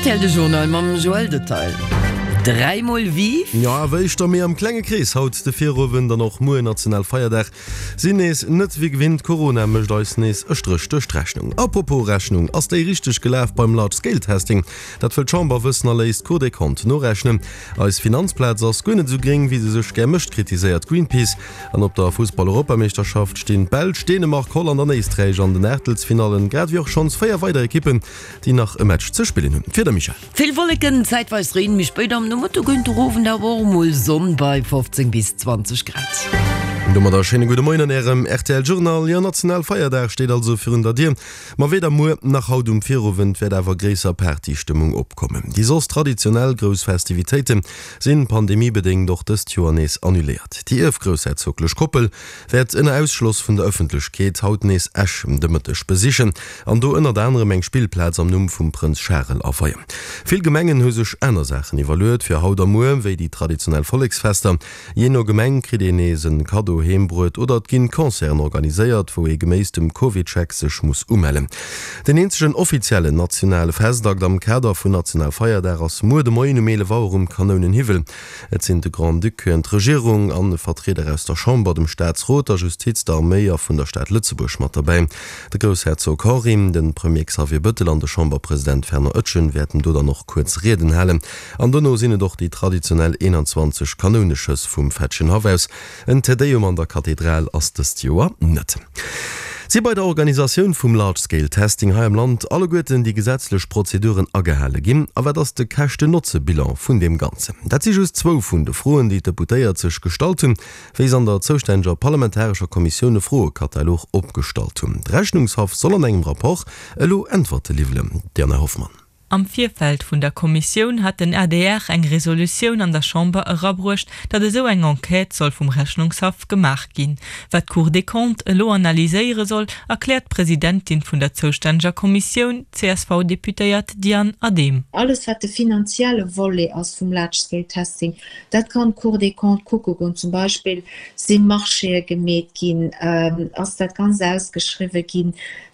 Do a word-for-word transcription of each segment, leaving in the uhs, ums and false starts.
Rtl de Journal mam Joël Detail. Dräi mol Vive! Jo, awer éischter méi am klenge Krees haut de Virowend an och muer Nationalfeierdag sinn nees net wéi gewinnt. Corona mécht eis nees e Stréch duerch d'Rechnung. Apropos Rechnung, ass déi richteg gelaf beim Large Scale Testing? Dat wëll d'Chamber wëssen a léisst d'Cour des Comptes norechnen. Eis Finanzplaz ass guer net esou gréng wéi se sech gär mécht, kritiséiert Greenpeace. An op der Fussball-Europameeschterschaft stinn d'Belsch, Dänemark, Holland an Éisträich an den Aachtelsfinallen, grad ewéi och schonns véier weider Ekippen, déi nach e Match ze spillen hunn. D'Wieder, Michèle? Vill Wolleken, zäitweis Reen, méi spéit am Nomëtte géint den Owend awer och emol Sonn bei fofzéng bis zwanzeg Grad. Domadder e schéine gudde Moien an Ärem rtl Journal. Jo, Nationalfeierdag steet also virun der Dier, ma weder muer nach haut um Virowend wäert awer gréisser Partystëmmung opkommen. Déi soss traditionell grouss Festivitéite sinn pandemiebedéngt och dëst Joer nees annuléiert. Déi ierfgroussherzoglech Koppel wäert ënner Ausschloss vun der Ëffentlechkeet haut nees Esch de Mëtteg besichen an do ënnert anerem eng Spillplaz am Numm vum Prënz Charel aweien. Vill Gemengen hu sech aner Saachen iwwerluet fir haut a muer, wéi déi traditionell Volleksfester. Jee no Gemeng kritt een nees en Kaddo heem bruet oder et ginn Concerten organiséiert, wou ee geméiss dem CovidCheck sech muss umellen. Den eenzegen offiziellen nationale Festakt am Kader vun Nationalfeierdag ass muer de Moien um eelef Auer um Kanounenhiwwel. Et sinn de Grand-Duc, d'Regierung an Vertrieder aus der Chamber, dem Staatsrot, der Justiz, der Arméi a vun der Stad Lëtzebuerg mat derbäi. De Groussherzog Henri, de Premier Xavier Bëttel an de Chamberpresident Fernand Etgen wäerten do dann och kuerz Rieden halen. An dono sinn et och déi traditionell eenanzwanzeg Kanouneschëss vum Fetschenhaff aus. En Te Deum an der Kathedral ass dëst Joer net. Si bei der Organisatioun vum Large Scale Testing hei am Land alleguerten déi gesetzlech Prozeduren agehale ginn? A wat ass de Käschten-Notze-Bilan vun deem Ganzen? Dat si just zwou vun de Froen, déi d'Deputéiert sech gestallt hunn, wéi se an der zoustänneger parlamentarescher Kommissioun e Froekatalog opgestallt hunn. De Rechnungshaff soll an engem Rapport elo Äntwerte liwwelen. Diana Hoffmann. Am Virfeld vun der Kommissioun hat den adr eng Resolutioun an der Chamber erabruecht, datt esou eng Enquête soll vum Rechnungshaff gemaach ginn. Wat d'Cour des Comptes elo analyséiere soll, erkläert d'Presidentin vun der zoustänneger Kommissioun, d'CSV-Deputéiert Diane Adehm. Alles wat de finanzielle Volet ass vum Large Scale Testing, dat kann d'Cour des Comptes kucke goen. Zum Beispill, si Marchéë gemeet ginn, ass dat Ganzt ausgeschriwwe ginn,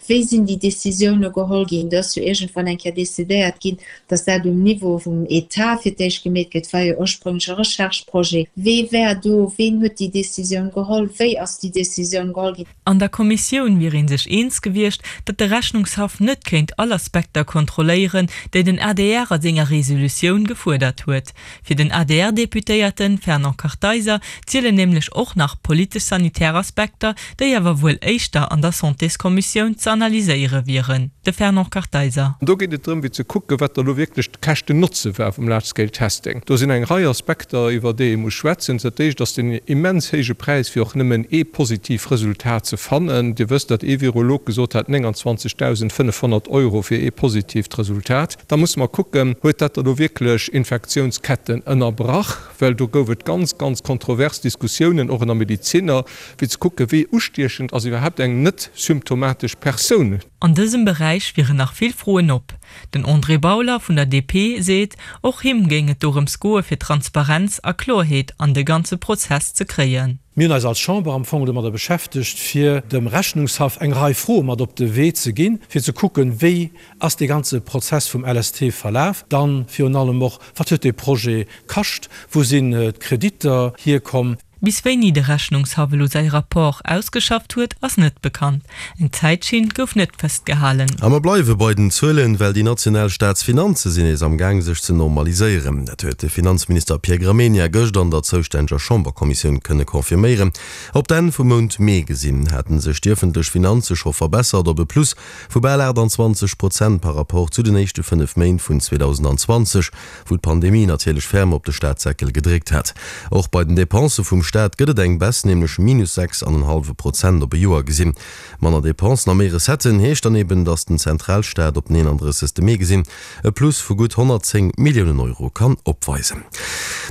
Wéi sinn déi Décisioune geholl ginn? Do ass jo iergendwann eng Kéier decidéiert ginn, datt dat um Niveau vum Etat fir d'éischt gemeet gëtt, war jo ursprünglech e Recherche-Projet. Wee war do? Ween huet déi Décisioun geholl? Wéi ass déi Décisioun geholl ginn? An der Kommissioun wier ee sech eens gewiescht, datt de Rechnungshaff net kéint all Aspekter kontrolléieren, déi den adr a senger Resolutioun gefuerdert huet. Fir den A D R-Deputéierte Fernand Kartheiser zielen nämlech och nach politesch-sanitär Aspekter, déi awer wuel éischter an der Santéskommissioun ze analyséiere wieren. De Fernand Kartheiser. Do geet et drëm, fir ze kucken, wat da lo wierklech de Käschten-Notze war vum Large-Scale Testing. Do sinn eng Rei Aspekter, iwwer déi ee muss schwätzen. Dat éischt ass den immens héije Präis, fir och nëmmen ee positiv Resultat ze fannen. Dir wësst, datt ee Virolog gesot hat, nénganzwanzegdausendfënnefhonnert Euro fir ee positiivt Resultat. Da musse mer kucken, Huet dat da lo wierklech Infektiounsketten ënnerbrach? Well do gouf et ganz, ganz kontrovers Diskussiounen, och ënner Medeziner, fir ze kucken, wéi ustiechend ass iwwerhaapt eng net symptomatesch Persoun. An dësem Beräich wieren nach vill Froen op. Den André Bauler vun der D P seet, och him géing et dorëms goe fir Transparenz a Kloerheet an de ganze Prozess ze kréien. Mir hunn eis als Chamber am Fong domadder beschäftegt, fir dem Rechnungshaff eng Rei Froe mat op de Wee ze ginn, fir ze kucken, wéi ass dee ganze Prozess vum L S T verlaf, dann virun allem och, wat huet dee Projet kascht, wou sinn d'Kreditter hierkomm. Bis wéini de Rechnungshaff elo säi Rapport ausgeschafft huet, ass net bekannt. Eng Zäitschinn gouf net festgehalen. A mer bleiwe bei den Zuelen, well déi national Staatsfinanze sinn nees am Gaang sech ze normaliséieren. Dat huet de Finanzminister Pierre Gramegna gëscht an der zoustänneger Chamberkommissioun kënne confirméieren. Op d'Enn vum Mount Mee gesinn, haten sech déi ëffentlech Finanze scho verbessert op e Plus vu bal aachtanzwanzeg Prozent par Rapport zu den éischte fënnef Méint vun zweedausendanzwanzeg, wou d'Pandemie natierlech ferm op de Staatssäckel gedréckt hat. Och bei den Depensë vum Staat gëtt et eng Baisse, nämlech minus sechs an en hallwe Prozent op e Joer gesinn. Manner Depensen a méi Recetten heescht dann eben, datt den Zentralstaat op den eenandrëssegste Mee gesinn e Plus vu gutt honnertzéng Milliounen Euro kann opweisen.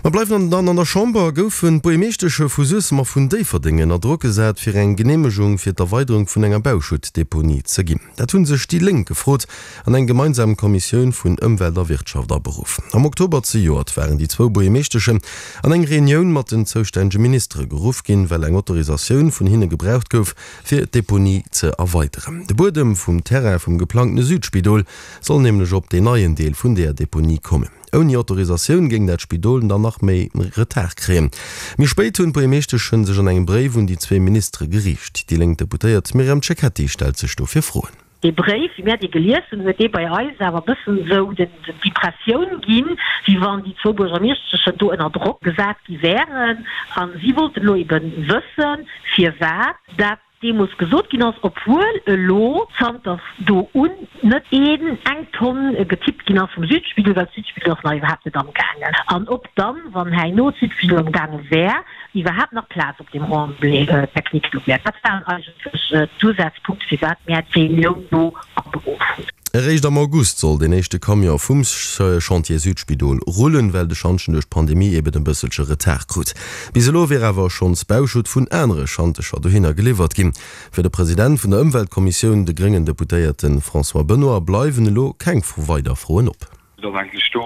Mer bleiwen dann an der Chamber. Goufen d'Buergermeeschteschen vu Suessem a vun Déifferdeng ënner Drock gesat, fir eng Geneemegung fir d'Erweiderung vun enger Bauschuttdeponie ze ginn? Dat hu sech déi Lénk gefrot an eng gemeinsam Kommissioun vun Ëmwelt a Wirtschaft aberuff. Am Oktober zejoert waren déi zwou Buergermeeschteschen an eng Reunioun mat den zoustännege Ministere geruff ginn, well eng Autorisatioun vun hinne gebraucht gouf, fir d'Deponie ze erweideren. De Buedem vum Terrain vum geplangtene Südspidol soll nämlech op deen neien Deel vun där Deponie kommen. Ouni Autorisatioun géing dat Spidol dann nach méi Retard kréien. Méi spéit hunn d'Buergermeeschteschen sech an engem Bréif un déi zwee Ministere geriicht. Déi lénk Deputéiert Myriam Cecchetti stellt sech dofir Froen. Dee Bréif, wéi mär dee gelies hunn, huet dee bei eis awer e bëssen esou d'Impressioun ginn, wéi wann déi zwou Buergermeeschteschen do ënner Drock gesat gi wären. A si wollten elo ebe wëssen, firwat dat deemools gesot ginn ass, obwuel elo zanter do un net een eng Tonn getippt ginn ass vum Südspidol, well d'Südspidol ass nach iwwerhaapt net amgaangen, an ob dann, wann herno d'Südspidol amgaange wär, iwwerhaapt nach Plaz op deem Remblai technique do wär. Dat waren eigentlech d'Usazpunkte, firwat mär d'Reunioun do aberuff hunn. Eréischt am August soll deen éischte Camion vum Chantier Südspidol rullen, well de Schantjen duerch d'Pandemie eben e bësselche Retard krut. Bis elo wier awer schonns Bauschutt vun anere Schantecher dohinner geliwwert ginn. Fir de President vun der Ëmweltkommissioun, de gréngen Deputéierte François Benoy, bleiwen elo keng weider Froen op. Et ass eigentlech do,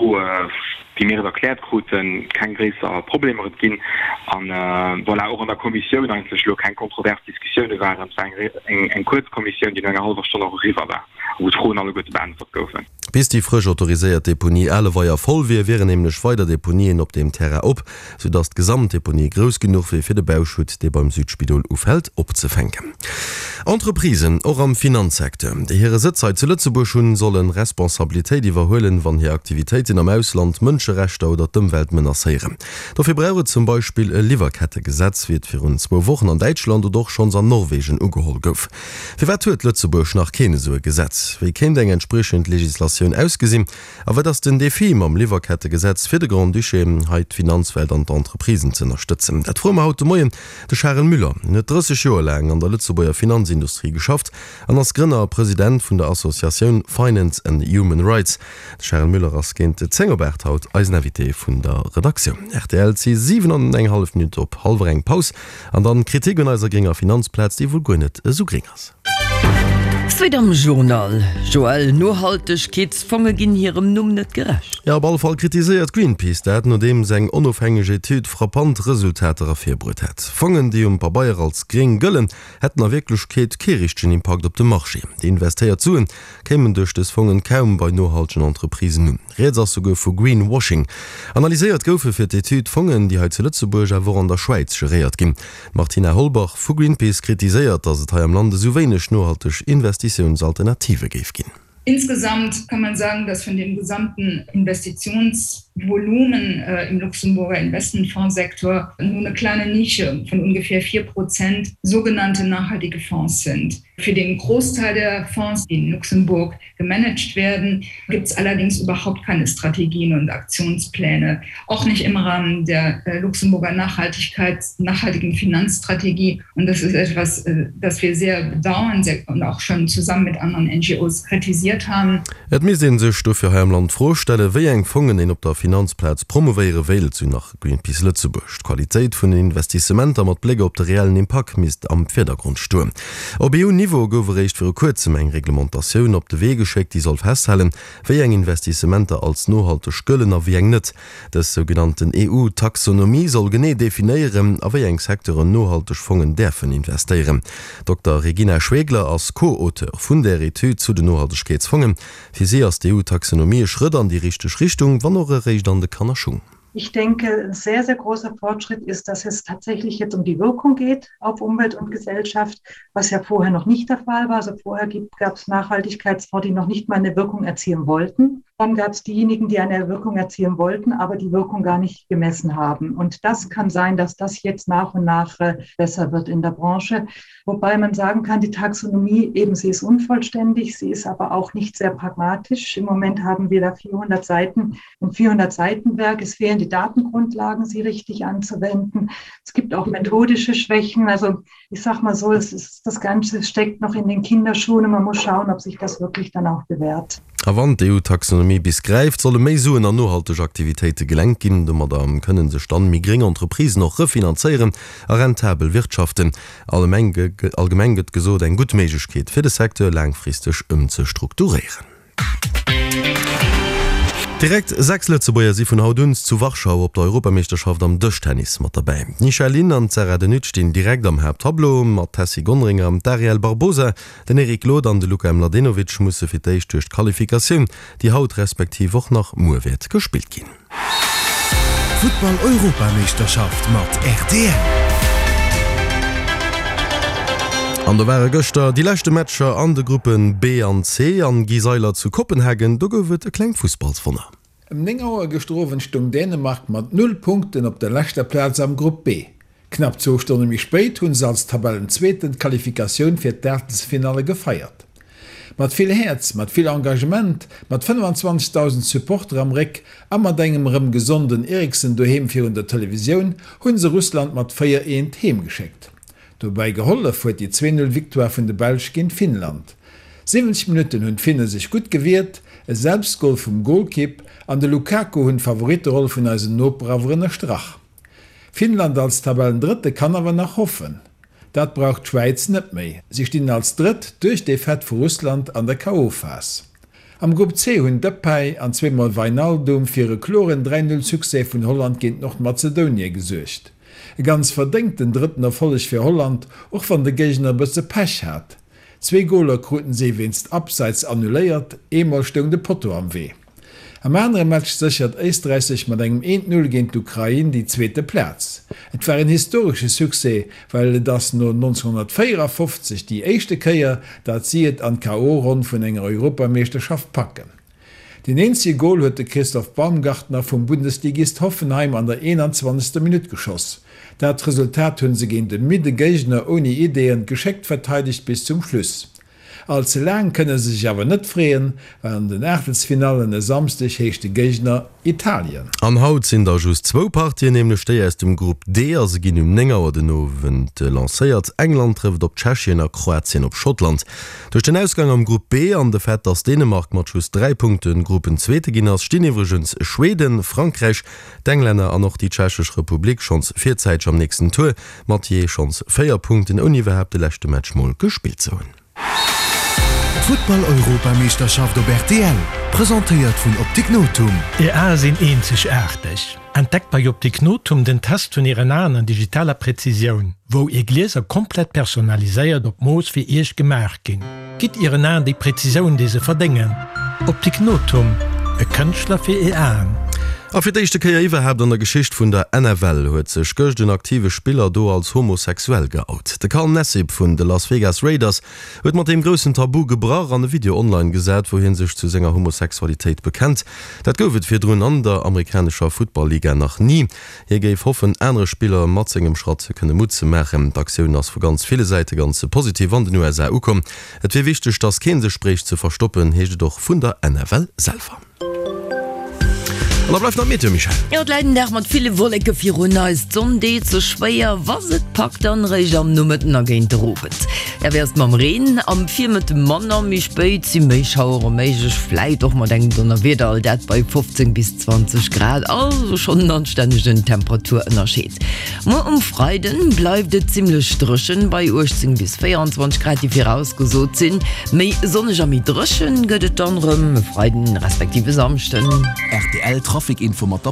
wéi mir et erkläert kruten, keng gréisser Problemer et ginn an, voilà, och an der Kommissioun eigentlech elo keng kontrovers Diskussioune waren. Et war eng kuerz Kommissioun, déi no enger hallwer Stonn och eriwwer war a wou d'Froen alleguerte beäntwert goufen. Bis déi frësch autoriséiert Deponie Aleweier voll wier, wieren nämlech weider Deponien op deem Terrain op, soudass d'Gesamtdeponie grouss genuch wier, fir de Bauschutt, dee beim Südspidol ufält, opzefänken. Entreprisen, och am Finanzsecteur, déi hire Sëtz hei zu Lëtzebuerg hunn, solle Responsabilitéit iwwerhuelen, wann hir Aktivitéiten am Ausland Mënscherechter oder d'Ëmwelt menacéieren. Dofir brauch et zum Beispill e Liwwerkettegesetz, wéi et virun zwou Wochen an Däitschland oder och schonns an Norwegen ugeholl gouf. Firwat huet Lëtzebuerg nach keen esou e Gesetz? Wéi kéint eng entspriechend Legislatioun ausgesinn? A wat ass den Defi mam Liwwerkettegesetz fir de Grand-Duché, hei d'Finanzwelt an d'Entreprisen z'ënnerstëtzen? Dat froe mer haut de Moien de Charel Müller. En huet drësseg Joer laang an der Lëtzebuerger Finanzindustrie geschafft an ass Grënner a President vun der Associatioun Finance and Human Rights. De Charel Müller ass géint zéng op aacht haut eisen Invité vun der Redaktioun. Rtl, Et si siwen an eng hallef Minutt op hallwer eng. Paus an dann Kritik un eiser grénger Finanzplaz, déi wuel guer net esou gréng ass. Suite am Journal, Joël, Nohaltegkeetsfonge ginn hirem Numm net gerecht. Jo, op alle Fall kritiséiert Greenpeace dat, nodeems eng onofhängeg Etüd frappant Resultater ervirbruet hätt. Fongen, déi um Pabeier als gréng gëllen, hätten a Wierklechkeet kee richtegen Impakt op de Marché. Déi investéiert Suen kéimen duerch dës Fongen kaum bei nohaltegen Entreprisen un. Rieds ass souguer vu Greenwashing. Analyséiert goufe fir d'Etüd Fongen, déi hei zu Lëtzebuerg, awer och an der Schwäiz geréiert ginn. D'Martina Holbach vu Greenpeace kritiséiert, datt et hei am Land esou wéineg nohalteg Investitiounsalternative géif ginn. Insgesamt kann man sagen, dass von dem gesamten Investitionsvolumen äh, im Luxemburger Investmentfondssektor nur eine kleine Nische von ungefähr vier Prozent sogenannte nachhaltige Fonds sind. Für den Großteil der Fonds, die in Luxemburg gemanagt werden, gibt es allerdings überhaupt keine Strategien und Aktionspläne, auch nicht im Rahmen der äh, Luxemburger Nachhaltigkeits nachhaltigen Finanzstrategie. Und das ist etwas, äh, das wir sehr bedauern sehr und auch schon zusammen mit anderen N G Os kritisiert haben. Et misst ee sech dofir hei am Land d'Fro stellen, wéi eng Fongen een op der Finanzplaz promouvéiere wéilt, sou nach Greenpeace Lëtzebuerg. D'Qualitéit vun den Investissementer mat Bléck op de reellen Impakt misst am Virdergrond stoen. Op E U-Niveau gouf eréischt viru kuerzem eng Reglementatioun op de Wee geschéckt, déi soll festhalen, wéi eng Investissementer als nohalteg gëllen a wéi eng net. Dës sougenannten E U-Taxonomie soll genee definéieren, a wéi eng Secteuren nohalteg Fongen däerfen investéieren. D'Dokter Regina Schwegler ass Co-Auteur vun där Etüd zu den Nohaltegkeetsfongen. Fir si ass d'E U-Taxonomie e Schrëtt an déi richteg Richtung, wann och eréischt an de Kannerschung. Ich denke, ein sehr, sehr großer Fortschritt ist, dass es tatsächlich jetzt um die Wirkung geht auf Umwelt und Gesellschaft, was ja vorher noch nicht der Fall war. Also vorher gab es Nachhaltigkeitsfonds, die noch nicht mal eine Wirkung erzielen wollten. Dann gab es diejenigen, die eine Wirkung erzielen wollten, aber die Wirkung gar nicht gemessen haben. Und das kann sein, dass das jetzt nach und nach äh, besser wird in der Branche. Wobei man sagen kann, die Taxonomie eben sie ist unvollständig, sie ist aber auch nicht sehr pragmatisch. Im Moment haben wir da vierhundert Seiten und vierhundert Seitenwerk. Es fehlen die Datengrundlagen, sie richtig anzuwenden. Es gibt auch methodische Schwächen. Also ich sag mal so, es ist, das Ganze steckt noch in den Kinderschuhen und man muss schauen, ob sich das wirklich dann auch bewährt. A wann d'E U-Taxonomie bis gräift, solle méi Suen an nohalteg Aktivitéite gelenkt ginn. Domadder kënne sech dann méi gréng Entreprisen och refinanzéieren a rentabel wirtschaften. Allgemeng allgemeng gëtt gesot, eng gutt Méiglechkeet fir de Secteur laangfristeg ëmzestrukturéieren. Direkt sechs Lëtzebuerger si vun haut un zu Warschau op der Europameeschterschaft am Dëschtennis mat derbäi. D'Nisha Lin an d'Sarah De Nutte stinn direkt am Haapttableau, ma d'Tessy Gonderinger, d'Ariel Barbosa, den Eric Glod an de Luka Mladenovic musse fir d'éischt duerch d'Qualifikatioun, déi haut respektiv och nach muer wäert gespillt ginn. Futtball-Europameeschterschaft mat rtl. An do ware gëschter déi leschte Matcher an de Gruppen B an C an Guy Seiler zu Kopenhagen, do gouf et e klengt Fussballswonner. Ëm néng Auer gëschter Owend stoung Dänemark mat null Punkten op der leschter Plaz am Grupp B. Knapp zwou Stonne méi spéit hu se als Tabellenzweeten d'Qualifikatioun fir d'Aachtelsfinalle gefeiert. Mat vill Häerz, mat vill Engagement, mat fënnefenzwanzegdausend Supporter am Réck a mat engem erëm gesonden Eriksen doheem virun der Televisioun hu se Russland mat véier eent heem geschéckt. Dobäi gehollef huet déi zwee Null Victoire vun de Belsch géint Finnland. Siwwenzeg Minutten hunn d'Finne sech gutt gewiert, e Selbstgol vum Golkipp an de Lukaku hunn d'Favoritteroll vun eisen Noper awer ënnerstrach. Finnland als Tabellendrëtte kann awer nach hoffen. Dat brauch d'Schwäiz net méi, si stinn als Drëtt duerch d'Defaite vu Russland an der K O-Phas. Am Grupp C hunn Depay an zweemol Wijnaldum fir e kloren dräi Null Succès vun Holland géint Nordmazedonie gesuergt. E ganz verdéngten drëtten Erfolleg fir Holland, och wann de Géigner e bësse Pech hat. Zwee Goler kruten si wéinst Abseits annuléiert, eemol stoung de Potto am Wee. Am anere Match séchert Éisträich sech mat engem eent Null géint d'Ukrain déi zweete Plaz. Et war en historesche Succès, well et ass no nonzénghonnertvéierafofzeg déi éischte Kéier, dat si et an d'K O-Ronn vun enger Europameeschterschaft packen. Deen eenzege Gol huet de Christoph Baumgartner vum Bundesligist Hoffenheim an der eenanzwanzegster Minutt geschoss. Dat Resultat hunn se géint e midde Géigner ouni Ideeën geschéckt verteidegt bis zum Schluss. All ze laang kënne se sech awer net freeën, well an den Aachtelsfinallen e Samsdeg heescht de Géigner Italien. An haut sinn da just zwou Partien, nämlech déi aus dem Grupp D a se ginn um néng Auer den Owend lancéiert. England trëfft op Tschechien a Kroatien op Schottland. Duerch den Ausgang am Grupp B an de Fait, dass Dänemark mat just dräi Punkte Gruppenzweete ginn ass, stinn iwwregens Schweden, Frankräich, d'Englänner an och déi Tschechesch Republik schonns virzäiteg am nächsten Tour mat jee schonns véier Punkten, ouni iwwerhaapt de leschte Match mol gespillt ze hunn. D'Futtball-Europameeschterschaft op rtl, presentéiert vun Optik Nothum. Är Ae sinn eenzegaarteg. Entdeckt bei Optik Nothum den Test vun Ären Aen an digitaler Präzisioun, wou Är Glieser komplett personaliséiert op d'Mooss fir Iech gemaach ginn. Gitt Ären Aen déi Präzisioun, déi se verdéngen. Optik Nothum, e Kënschtler fir Är Aen. A fir d'éischte Kéier iwwerhaapt an der Geschicht vun der N F L huet sech gëscht en aktive Spiller do als homosexuell geout. De Carl Nassib vun de Las Vegas Raiders huet mat deem groussen Tabu gebrach an e Video online gesat, wou hie sech zu senger Homosexualitéit bekennt. Dat gouf et virdrun an der amerikanescher Futtball-Liga nach ni. Hie géif hoffen, anere Spiller mat sengem Schratt kënne Mutt ze maachen. D'Aktioun ass vu ganz ville Säite ganz positiv an den U S A ukomm. Et wier wichteg, datt kee sech bréicht ze verstoppen, heescht et och vun der N F L selwer. An da bleift nach d'Meteo, Michèle. Jo, et läit en Dag mat ville Wolleke virun eis. D'Sonn deet sech schwéier, wa se et packt, dann eréischt am Nomëtten a géint de Owend. Ja, wéi ass et mam Reen? Am Virmëtte manner, méi spéit si méi Schauere méiglech, vläit och mat engem Donnerwieder, all dat bei fofzéng bis zwanzeg Grad, also schonn en anstännegen Temperaturënnerscheed. Muer um Freiden bleift et zimmlech dréchen, bei uechtzéng bis véierundzwanzeg Grad, déi virausgesot sinn. Méi sonneg a méi dréchen gëtt et dann erëm e Freiden respektiv e Samschden. Rtl Trafic Info mat der.